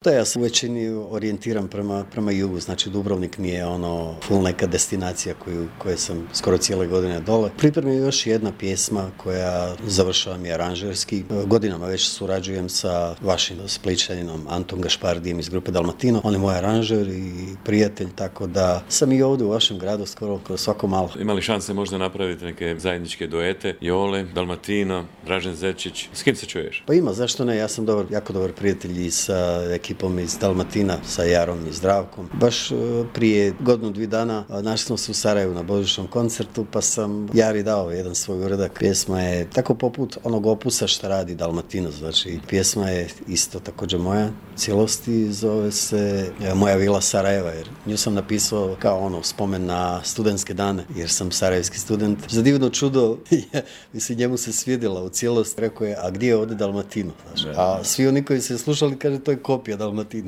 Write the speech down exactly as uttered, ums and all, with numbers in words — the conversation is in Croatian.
Da, ja sam u većini orijentiran prema, prema jugu, znači Dubrovnik mi je ono full neka destinacija koju, koje sam skoro cijele godine dole. Pripremio još jedna pjesma koja završavam i aranžerski. Godinama već surađujem sa vašim Splićaninom Antom Gašpardijem iz grupe Dalmatino. On je moj aranžer i prijatelj, tako da sam i ovdje u vašem gradu skoro kroz svako malo. Ima li šanse možda napraviti neke zajedničke duete? Jole, Dalmatino, Dražen Zečić, s kim se čuješ? Pa ima, zašto ne, ja sam dobar, jako dobar prijatelj i sa ekipom iz Dalmatina, sa Jarom i Zdravkom. Baš prije godinu, dvije dana našli smo se u Sarajevu na božićnom koncertu, pa sam Jari dao jedan svoj uradak. Pjesma je tako poput onog opusa što radi Dalmatino, znači pjesma je isto također moja cijelosti, zove se Moja vila Sarajeva, jer nju sam napisao kao ono spomen na studentske dane, jer sam sarajevski student. Za divno čudo, mislim, njemu se svidjela u cijelosti, rekao je, a gdje je ovdje Dalmatino? Znači, a svi oni koji se slušali, kaže, to je kopija Dalmatina.